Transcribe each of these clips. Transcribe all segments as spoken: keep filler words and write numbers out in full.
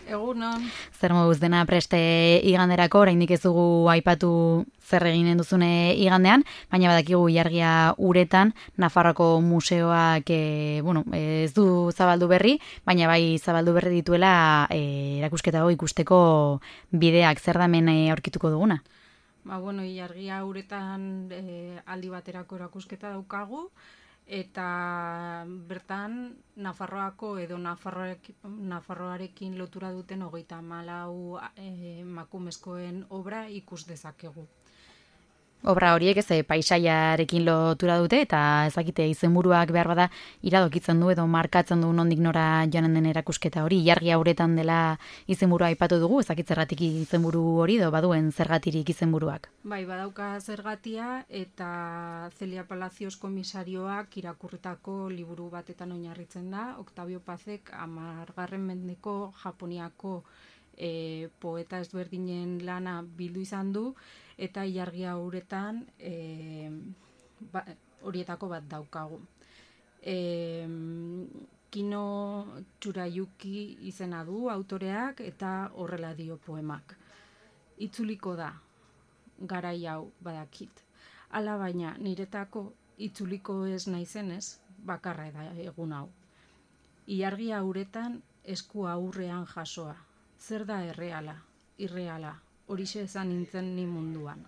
Egunon. Zer moduz dena preste iganderako, oraindik ez dugu aipatu zer eginen duzune igandean, baina badakigu ilargia uretan Nafarroako museoak e, bueno, ez du zabaldu berri, baina bai zabaldu berri dituela e, erakusketa hau ikusteko bideak. Zer da hemen e, aurkituko duguna? Ba, bueno, ilargia uretan e, aldi baterako erakusketa daukagu, eta bertan Nafarroako edo Nafarroarekin lotura duten hogeita hamalau e, emakumezkoen obra ikus dezakegu. Obra horiek ez paisaiarekin lotura dute eta ezakite izenburuak behar bada iradokitzen du edo markatzen du nondik nora joanen den erakusketa hori. Ilargia uretan dela izenburua aipatu dugu, ezakitzergatik izenburu hori edo baduen zergatirik izenburuak. Bai, badauka zergatia eta Celia Palacios komisarioak irakurritako liburu batetan oinarritzen da. Octavio Pazek hamargarren mendeko Japoniako e, poeta ezberdinen lana bildu izan du, eta ilargia uretan e, ba, horietako bat daukagu. E, Kino Tsurayuki izena du autoreak eta horrela dio poemak. Itzuliko da, garai hau badakit. Hala baina niretako itzuliko ez naizenez, bakarra da egun hau. Ilargia uretan esku aurrean jasoa. Zer da erreala, irreala, horixe esan nintzen ni munduan.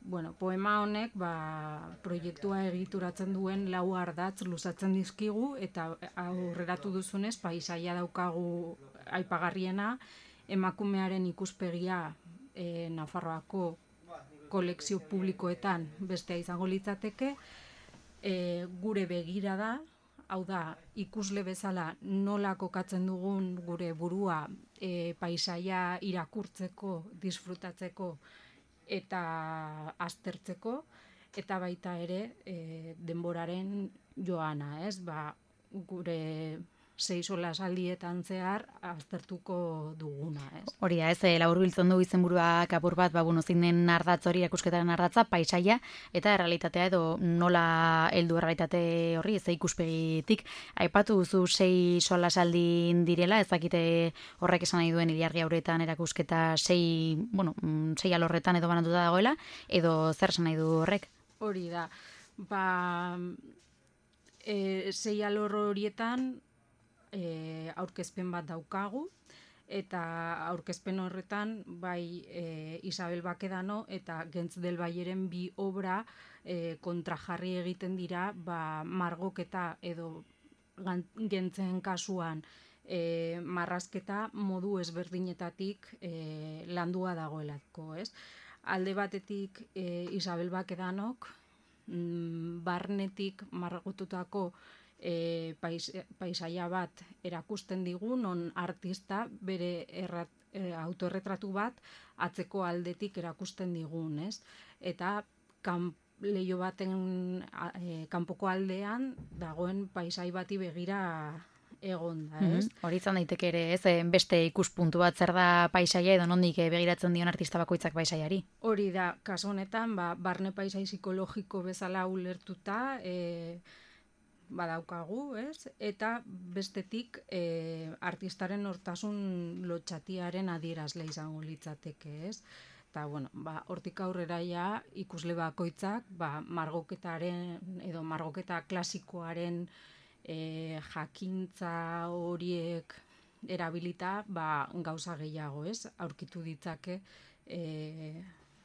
Bueno, poema honek ba, proiektua egituratzen duen lau ardatz luzatzen dizkigu, eta aurreratu duzunez, paisaia daukagu aipagarriena, emakumearen ikuspegia e, Nafarroako kolekzio publikoetan bestea izango litzateke, e, gure begirada, hau da, ikusle bezala nola kokatzen dugun gure burua e, paisaia irakurtzeko, disfrutatzeko eta aztertzeko, eta baita ere e, denboraren joana, ez? Ba, gure sei solasaldietan zehar aztertuko duguna, ez? Hori da, ez, laburbiltzen du izenburuak apur bat, ba, bueno, zein den ardatz hori, erakusketaren ardatza, paisaia, eta errealitatea edo nola heldu errealitate horri, ez ikuspegitik. Aipatu duzu sei solasaldin direla, ezakite horrek esan nahi duen ilargia uretan erakusketa sei, bueno, sei alorretan edo banatuta dagoela, edo zer esan nahi du horrek? Hori da, ba, e, sei alor horietan, E, aurkezpen bat daukagu, eta aurkezpen horretan bai e, Isabel Bakedano eta Gentz del Bayeren bi obra e, kontrajarri egiten dira, ba, margoketa edo Gentzen kasuan e, marrazketa modu ezberdinetatik e, landua dagoelako, ez? Alde batetik e, Isabel Bakedanok mm, barnetik margotutako E, pais, paisaia bat erakusten digu, non artista bere errat, e, autoerretratu bat atzeko aldetik erakusten digun, ez? Eta kan, leio baten e, kanpoko aldean dagoen paisai bati begira egon da, ez? Mm-hmm. Hori izan daiteke ere, ez, beste ikuspuntu bat zer da paisaia edo nondik begiratzen dion artista bakoitzak paisaiari. Hori da, kasu honetan, ba, barne paisai psikologiko bezala ulertuta, e, badaukagu, ez? Eta bestetik e, artistaren hortasun lotxatiaren adierazle izango litzateke, ez? Eta, bueno, ba, hortik aurrera ja ikusle bakoitzak, ba, margoketaren edo margoketa klasikoaren e, jakintza horiek erabilita, ba, gauza gehiago, ez? Aurkitu ditzake e,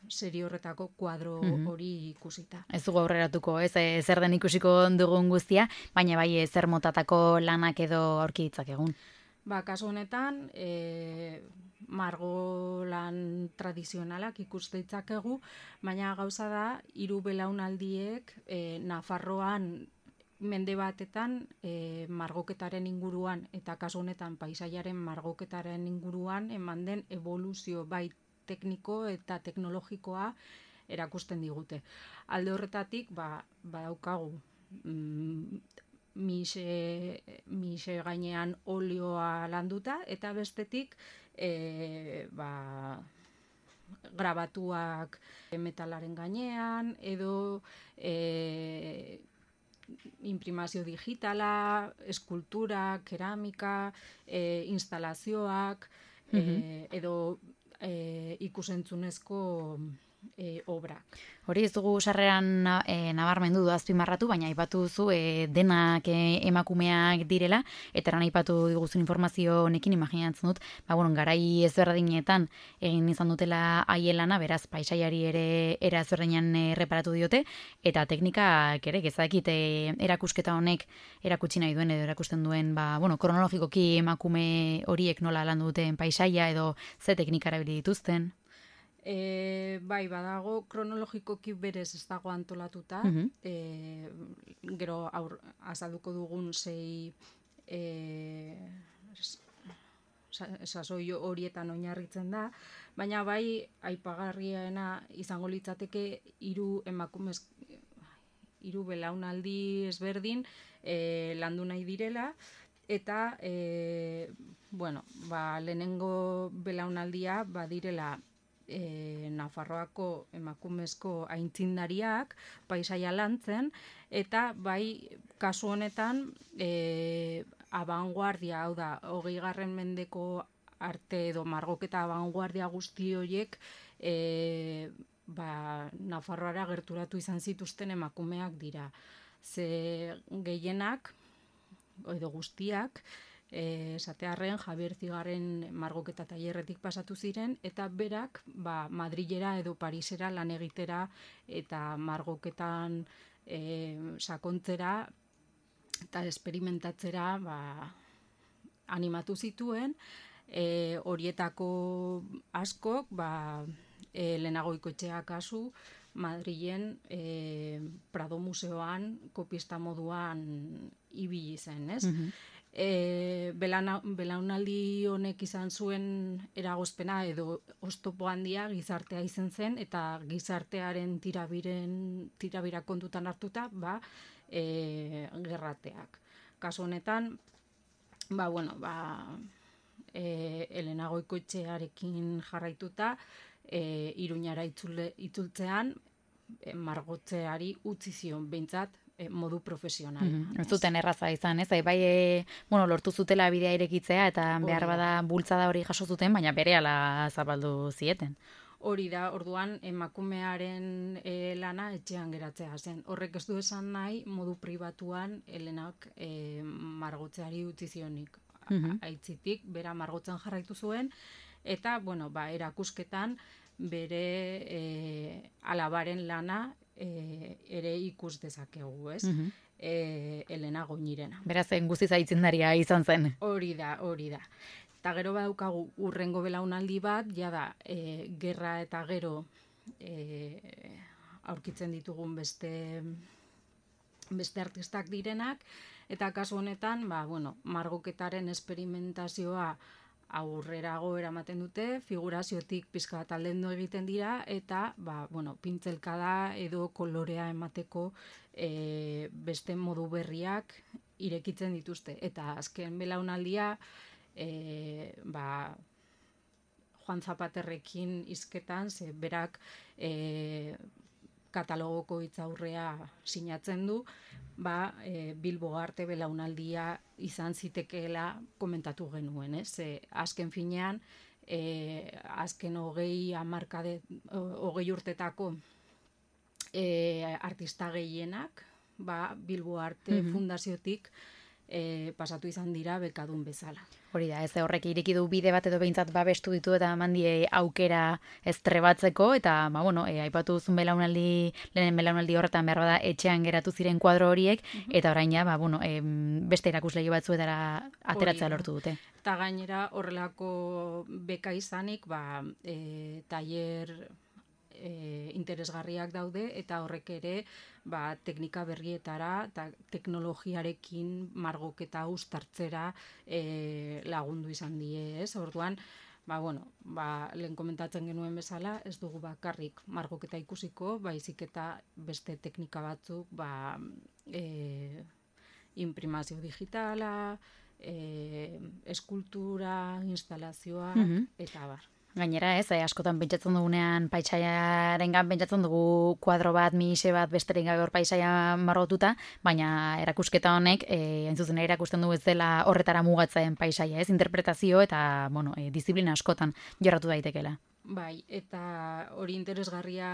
serie horretako kuadro hori ikusita. Ez dugu aurreratuko, ez, e, zer den ikusiko dugun guztia, baina bai e, zer motatako lanak edo aurki ditzakegun. Ba, kasu honetan, e, margolan tradizionalak ikus ditzakegu, baina gauza da, hiru belaunaldiek e, Nafarroan mende batetan e, margoketaren inguruan, eta kasu honetan paisaiaren margoketaren inguruan eman den evoluzio bait tekniko eta teknologikoa erakusten digute. Alde horretatik, ba, badaukagu mm, mise, mise gainean olioa landuta, eta bestetik e, ba, grabatuak metalaren gainean, edo e, imprimazio digitala, eskultura, keramika, e, instalazioak, e, edo e, ikusentzunezko e, obrak. Hori ez dugu sarreran e, nabarmendu du azpimarratu, baina aipatu duzu e, denak e, emakumeak direla, eta eran aipatu diguzun informazio honekin imaginatzen dut, ba, bueno, garai ezberdinetan egin izan dutela haielana, beraz paisaiari ere era ezberdinean e, reparatu diote, eta teknikak ere, gezakit e, erakusketa honek erakutsi nahi duen edo erakusten duen, ba, bueno, kronologikoki emakume horiek nola landu duten paisaia edo ze teknika erabili dituzten. E, bai, badago, kronologikoki berez ez dago antolatuta, Mhm. e, gero aur, azalduko dugun sei e, sasoi horietan oinarritzen da, baina bai aipagarriena izango litzateke hiru emakumez hiru belaunaldi ezberdin e, landu nahi direla, eta e, bueno, ba, lehenengo belaunaldia badirela E, Nafarroako emakumezko aintzindariak paisaia lantzen, eta bai kasu honetan e, abanguardia, hau da, hogeigarren mendeko arte edo margoketa abanguardia guzti horiek e, ba, Nafarroara gerturatu izan zituzten emakumeak dira. Ze gehienak, edo guztiak, esatearren Javier Zigarren margoketa tailerretik pasatu ziren, eta berak ba, Madrilera edo Parisera lan egitera eta margoketan e, sakontzera eta esperimentatzera ba, animatu zituen. E, horietako askok ba, e, lehenago Ikoetxea kasu Madrilen e, Prado Museoan kopista moduan ibili zen, ez? Mhm. E, belana, belaunaldi honek izan zuen eragozpena edo oztopo handia gizartea izen zen, eta gizartearen tirabiren, tirabira kontutan hartuta, ba, e, gerrateak. Kasu honetan, ba, bueno, ba, e, Elena Goikoetxearekin jarraituta, e, Iruñara itzule, itzultzean, e, margotzeari utzi zion, behintzat, modu profesional. Mm-hmm. Ez zuten erraza izan, ez? Bai, e, bueno, lortu zutela bidea irekitzea eta behar bada bultzada hori jaso zuten, baina berehala zabaldu zieten. Hori da, orduan emakumearen e, lana etxean geratzea zen. Horrek ez du esan nahi modu pribatuan Helenak e, margotzeari utzi zionik. Mm-hmm. Aitzitik, bera margotzen jarraitu zuen, eta, bueno, ba, erakusketan bere e, alabaren lana E, ere ikus dezakegu, ez? Mm-hmm. E, Elena Goñirena. Beraz, guztiz aitzindaria izan zen. Hori da, hori da. Eta gero badaukagu urrengo belaunaldi bat, jada, e, gerra eta gero e, aurkitzen ditugun beste beste artistak direnak, eta kasu honetan, ba, bueno, margoketaren esperimentazioa aurrerago eramaten dute, figuraziotik pizka bat aldendu egiten dira, eta ba, bueno, pintzelkada edo kolorea emateko e, beste modu berriak irekitzen dituzte. Eta azken belaunaldia e, ba, Juan Zapaterrekin hizketan, ze berak e, katalogoko hitzaurrea sinatzen du, ba, e, Bilbo arte belaunaldia izan zitekeela komentatu genuen, ez? E, azken finean, e, azken hogei hamarkade, hogei urtetako e, artista gehienak, ba, Bilbo arte mm-hmm. fundaziotik e, pasatu izan dira bekadun bezala. Hori da, ez horrek ireki du bide bat edo behintzat babestu ditu eta mandie aukera ez trebatzeko, eta, ba, bueno, e, aipatu duzun belaunaldi, lehenen belaunaldi horretan behar bada etxean geratu ziren kuadro horiek, uh-huh. eta orain ja, ba, bueno, e, beste erakuslegi batzuetara ateratzea lortu dute. Eta gainera horrelako beka izanik, ba, e, tailer e, interesgarriak daude, eta horrek ere, ba, teknika berrietara eta teknologiarekin margoketa uztartzera e, lagundu izan die, ez? Orduan, ba, bueno, ba, lehen komentatzen genuen bezala, ez dugu bakarrik margoketa ikusiko, baizik eta beste teknika batzuk, ba, e, imprimazio digitala, e, eskultura, instalazioa, mm-hmm. eta bar. Gainera, ez, eh, askotan pentsatzen dugunean paisaiarengan pentsatzen dugu kuadro bat, mixe bat, besterik gabe hor paisaia margotuta, baina erakusketa honek, eh, hain zuzen ere erakusten du ez dela horretara mugatzen paisaia, ez, interpretazio eta, bueno, eh, disiplina askotan jorratu daitekeela. Bai, eta hori interesgarria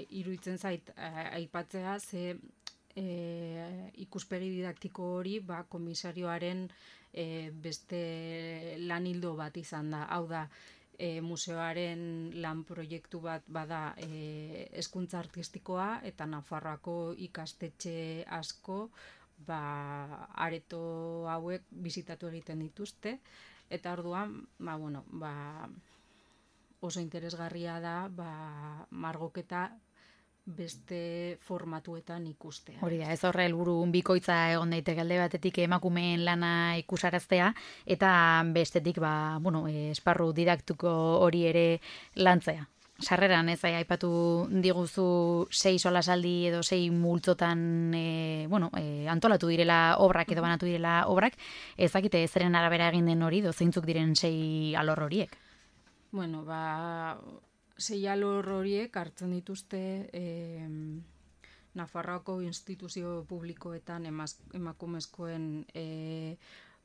iruditzen zait eh, aipatzea, ze e, ikuspegi didaktiko hori ba, komisarioaren e, beste lan hildo bat izan da. Hau da, e, museoaren lan proiektu bat bada e, hezkuntza artistikoa eta Nafarroako ikastetxe asko ba, areto hauek bisitatu egiten dituzte. Eta orduan, ba, bueno, ba, oso interesgarria da ba, margoketa beste formatuetan ikustea. Hori da, ez horre helburu bikoitza egon daiteke alde batetik emakumeen lana ikusaraztea eta bestetik ba, bueno, esparru didaktiko hori ere lantzea. Sarreran, ez, aipatu diguzu sei solasaldi edo sei multzotan e, bueno, e, antolatu direla obrak edo banatu direla obrak, ezakite zeren arabera egin den hori, dozeintzuk diren sei alor horiek? Bueno, ba, sei alor horiek hartzen dituzte eh, Nafarroako instituzio publikoetan emaz, emakumezkoen eh,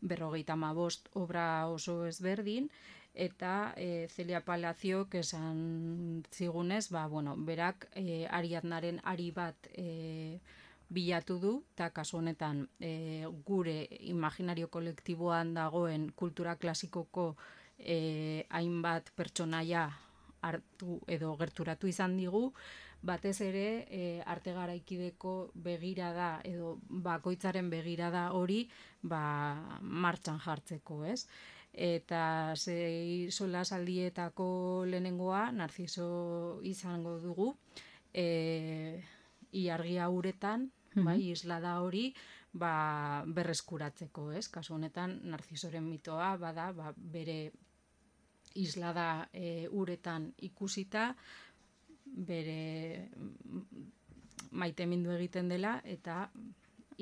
berrogeita hamabost obra oso ezberdin, eta eh, Celia Palaciok esan zigunez, ba, bueno, berak eh, Ariadnaren ari bat eh, bilatu du, eta kasu honetan eh, gure imaginario kolektiboan dagoen kultura klasikoko E, hainbat pertsonaia hartu edo gerturatu izan digu, batez ere e, arte garaikideko begirada edo bakoitzaren begirada hori ba, martxan jartzeko, ez? Eta sei solasaldietako lehenengoa Narciso izango dugu, e, ilargia uretan, bai, islada hori, ba, berreskuratzeko, ez? Kasu honetan, Narcisoren mitoa, bada, ba, bere islada e, uretan ikusita, bere maitemindu egiten dela, eta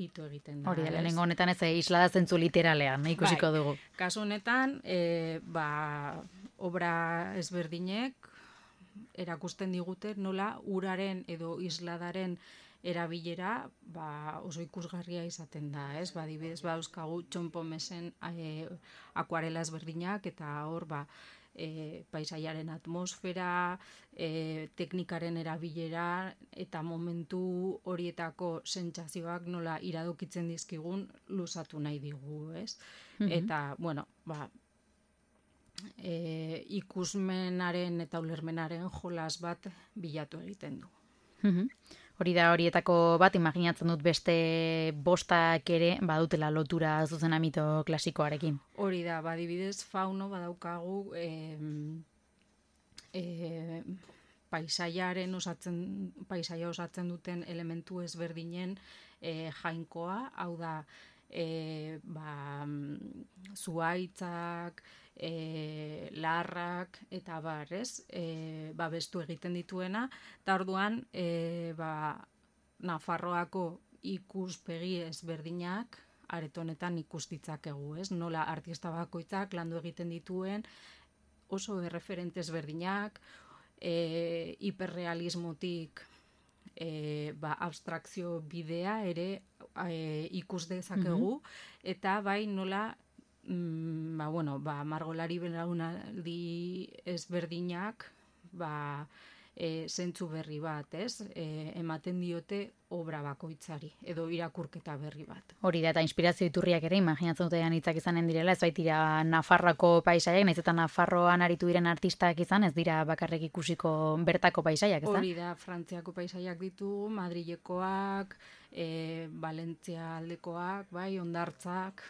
ito egiten da. Hori, lehenengo honetan ez islada zentzu literalean, ikusiko bai, dugu. Kasu honetan, e, ba, obra ezberdinek erakusten digute nola uraren edo isladaren erabilera ba, oso ikusgarria izaten da, ez? Ba, adibidez, ba, euskagu txonpomesen e, akuarela ezberdinak, eta hor, ba, e, paisaiaren atmosfera, e, teknikaren erabilera, eta momentu horietako sentsazioak nola iradokitzen dizkigun luzatu nahi digu, ez? Mm-hmm. Eta, bueno, ba, e, ikusmenaren eta ulermenaren jolas bat bilatu egiten du. Mm-hmm. Hori da horietako bat, imaginatzen dut beste bostak ere badutela lotura zuzena mito klasikoarekin. Hori da, badibidez fauno badaukagu e, e, paisaiaren osatzen, paisaia osatzen duten elementu ezberdinen e, jainkoa, hau da, e, ba, zuaitzak, e, larrak eta bar, ez? E, ba, bestu egiten dituena, eta orduan e, ba, Nafarroako ikuspegi ezberdinak aretonetan ikus ditzakegu, ez? Nola artista bakoitzak landu egiten dituen oso erreferente ezberdinak, e, hiperrealismotik e, ba, abstrakzio bidea ere e, ikus dezakegu, mm-hmm. eta bai nola Mm, ba, bueno, ba, margolari belaunaldi ezberdinak ba, e, zentzu berri bat, ez? E, ematen diote obra bakoitzari, edo irakurketa berri bat. Hori da, eta inspirazio iturriak ere, imaginatzen dute hitzak izanen direla, ez baitira Nafarroako paisaiak, nahiz eta Nafarroan aritu diren artistak izan, ez dira bakarrik ikusiko bertako paisaiak, ez da? Hori da, Frantziako paisaiak ditu, Madrilekoak, e, Valentzia aldekoak, bai, Hondartzak,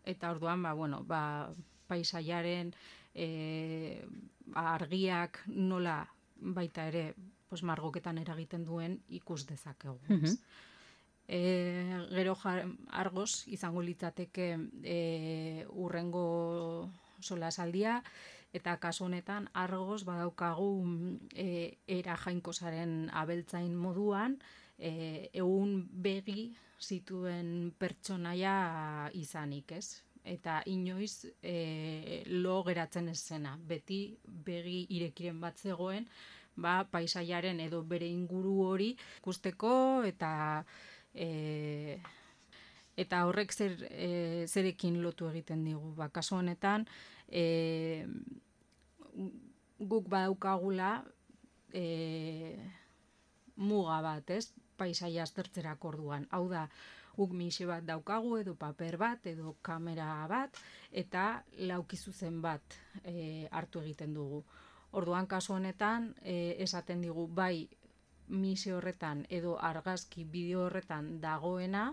eta orduan, ba, bueno, ba, paisaiaren e, argiak nola baita ere pues, margoketan eragiten duen ikus dezakegu. Mm-hmm. E, gero jar, argoz izango litzateke e, urrengo solasaldia, eta kasu honetan argoz badaukagu e, era jainkosaren abeltzain moduan, e, egun begi zituen pertsonaia izanik, ez? eta inoiz e, lo geratzen ez zena. Beti begi irekiren bat zegoen, ba, paisaiaren edo bere inguru hori ikusteko eta e, eta horrek zer, e, zerekin lotu egiten digu. Ba, kasu honetan, e, guk badaukagula e, muga bat, ez? Paisaia aztertzerako orduan. Hau da, guk mixe bat daukagu, edo paper bat, edo kamera bat, eta lauki zuzen bat e, hartu egiten dugu. Orduan, kasu honetan, e, esaten digu, bai, mixe horretan, edo argazki bideo horretan dagoena,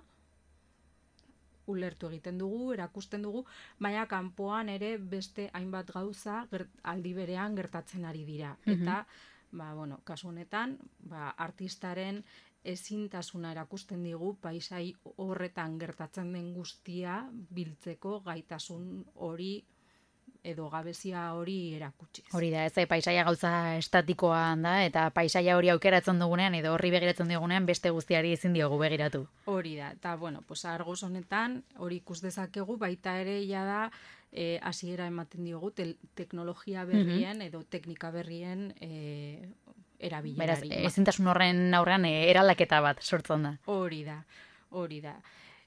ulertu egiten dugu, erakusten dugu, baina kanpoan ere beste hainbat gauza gert, aldi berean gertatzen ari dira. Mm-hmm. Eta, ba, bueno, kasu honetan, ba, artistaren ezintasuna erakusten digu paisai horretan gertatzen den guztia biltzeko gaitasun hori edo gabezia hori erakutsi. Hori da, ez paisaia gauza estatikoan da, eta paisaia hori aukeratzen dugunean, edo horri begiratzen dugunean, beste guztiari ezin diogu begiratu. Hori da, eta bueno, pues Argos honetan, hori ikus dezakegu, baita ere ja da, e, hasiera ematen diogu, te teknologia berrien, mm-hmm. edo teknika berrien e, erabilerari. Beraz, ezintasun horren aurrean e, eraldaketa bat sortzen da. Hori da, hori da.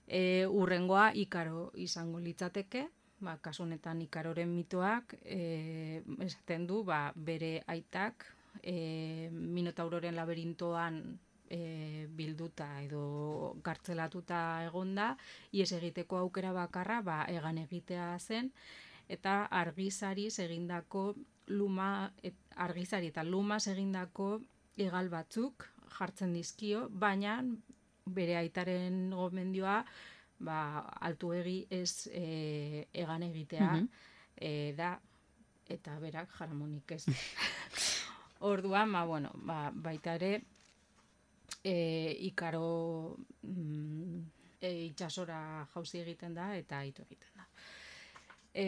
E, urrengoa Ikaro izango litzateke, ba, kasu honetan Ikaroren mitoak e, esaten du, ba, bere aitak e, Minotauroren laberintoan e, bilduta edo gartzelatuta egonda, ies egiteko aukera bakarra ba, egan egitea zen, eta argizari egindako luma, et, argizari eta lumas egindako hegal batzuk jartzen dizkio, baina bere aitaren gomendioa ba, altuegi ez e, egan egitea mm-hmm. e, da, eta berak jaramonik ez. Orduan, ba, bueno, ba, baita ere, e, Ikaro mm, e, itxasora jauzi egiten da, eta aitu egiten da. E,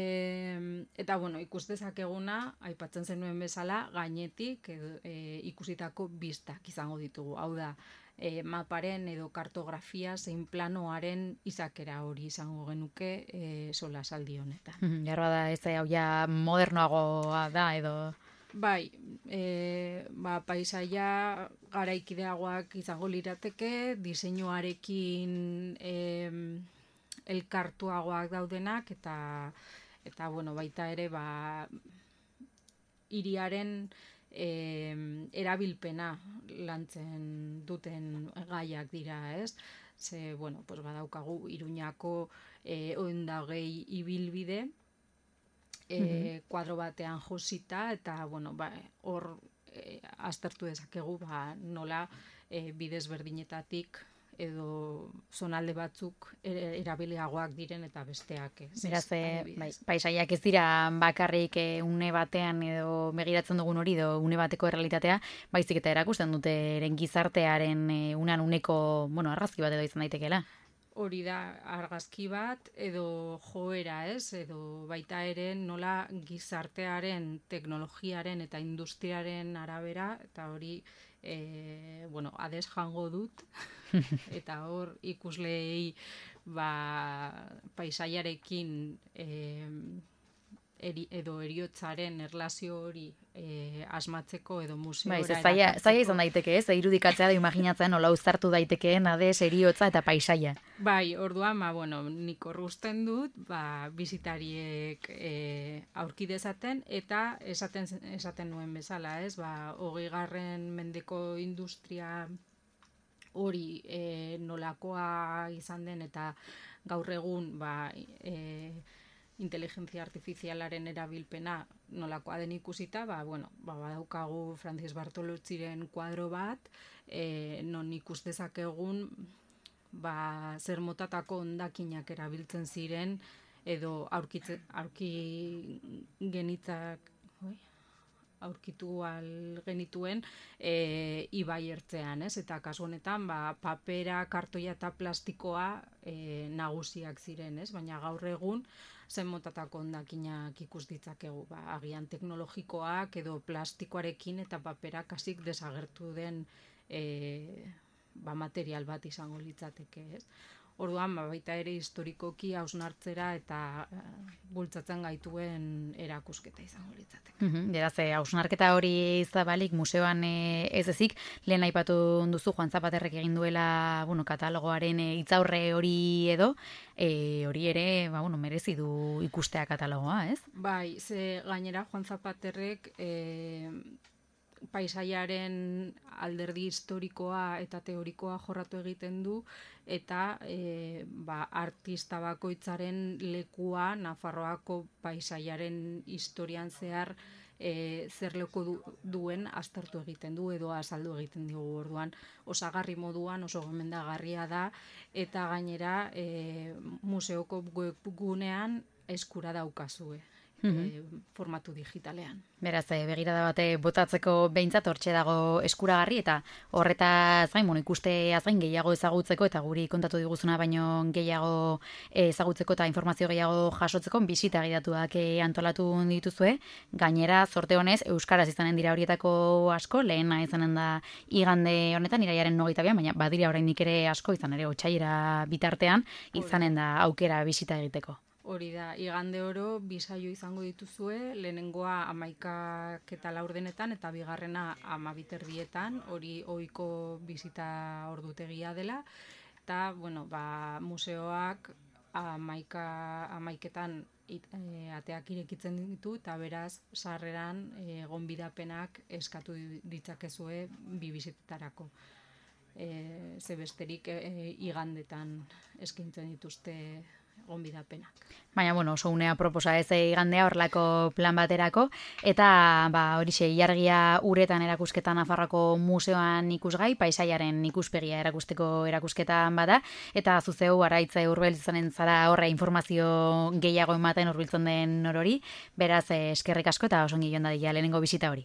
eta, bueno, ikus dezakeguna, aipatzen zenuen bezala, gainetik edo, e, ikusitako bistak izango ditugu. Hau da, E, maparen edo kartografia zein planoaren izakera hori izango genuke e, sola saldi honetan. Jarra da, ez hau ja modernoagoa da edo... Bai, e, ba, paisaia garaikideagoak izango lirateke, diseinuarekin e, elkartuagoak daudenak, eta, eta bueno, baita ere, ba, hiriaren... E, erabilpena lantzen duten gaiak dira, ez? Ze, bueno, pues badaukagu Iruñako e, ondagei ibilbide e, mm-hmm. kuadro batean josita, eta, bueno, ba, hor e, aztertu dezakegu, ba, nola e, bidez berdinetatik edo zonalde batzuk erabiliagoak diren eta besteak ez. Beraz, bai, paisaiak ez dira bakarrik une batean edo begiratzen dugun hori edo une bateko errealitatea, baizik eta erakusten dute eren gizartearen unan uneko, bueno, argazki bat edo izan daitekeela. Hori da, argazki bat edo joera, ez? Edo baita ere nola gizartearen, teknologiaren eta industriaren arabera, eta hori E, bueno, ades jango dut, eta hor ikusleei ba, paisaiarekin e, eri, edo eriotzaren erlazio hori e, asmatzeko edo museora bai, zaila, zaila izan daiteke, ez? Irudikatzea da imaginatzen nola uztartu daitekeen ades, eriotza eta paisaia. Bai, orduan, ba, bueno, nik horrusten dut, ba, bizitariek e, aurki dezaten, eta esaten, esaten nuen bezala, ez? Ba, hogeigarren mendeko industria hori e, nolakoa izan den, eta gaur egun, ba, e, inteligentzia artifizialaren erabilpena nolakoa den ikusita, ba, bueno, ba, badaukagu Francis Bartolotziren kuadro bat, e, non ikus dezakegun ba, zer motatako hondakinak erabiltzen ziren, edo aurkitze, aurki genitzak, oi? aurkitu al genituen e, ibai ertzean, ez? Eta kasu honetan, ba, papera, kartoia eta plastikoa e, nagusiak ziren, ez? Baina gaur egun, zen motatako hondakinak ikus ditzakegu, ba, agian teknologikoak edo plastikoarekin eta paperak hasik desagertu den e, ba, material bat izango litzateke, ez? Orduan, ba, baita ere historikoki hausnartzera eta uh, bultzatzen gaituen erakusketa izango litzateke. Mhm, beraz, hausnarketa hori zabalik museoan e, ez ezik, lehen aipatu duzu Juan Zapaterrek egin duela, bueno, katalogoaren hitzaurre hori edo, e, hori ere, ba, bueno, merezi du ikustea katalogoa, ez? Bai, ze gainera Juan Zapaterrek e, paisaiaren alderdi historikoa eta teorikoa jorratu egiten du, eta e, ba, artista bakoitzaren lekua Nafarroako paisaiaren historian zehar e, zer leku du, duen aztertu egiten du edo azaldu egiten digu. Orduan osagarri moduan oso gomendagarria da, eta gainera e, museoko webgunean eskura daukazue. E, formatu digitalean. Beraz, e, begirada bate botatzeko behintzat hortxe dago eskuragarri, eta horretaz gain, bueno, ikusteaz gain gehiago ezagutzeko, eta guri kontatu diguzuna baino gehiago ezagutzeko eta informazio gehiago jasotzeko bisita gidatuak e, antolatu dituzue. Gainera, sorte honez, euskaraz izanen dira horietako asko, lehena izanen da igande honetan, iraiaren hogeita bian, baina badira oraindik ere asko, izan ere otsailera bitartean, izanen da aukera bisita egiteko. Hori da, igande oro bisaio izango dituzue, lehenengoa amaikak eta laurdenetan, eta bigarrena amabiterdietan, hori ohiko bisita ordutegia dela, eta, bueno, ba, museoak amaika, amaiketan it, e, ateak irekitzen ditu, eta beraz, sarreran e, gonbidapenak eskatu ditzakezue bi bisitetarako. E, ze besterik e, igandetan eskaintzen dituzte gonbidapenak. Baina, bueno, oso unea proposa ez igandea horrelako plan baterako, eta ba, horixe, ilargia uretan erakusketa Nafarroako museoan ikusgai, paisaiaren ikuspegia erakusteko erakusketan bada, eta zuzeu araitza Urbeltz izanen zara horre informazio gehiago ematen hurbiltzen den orori, beraz eskerrik asko eta oso ongi joan dadila lehenengo bisita hori.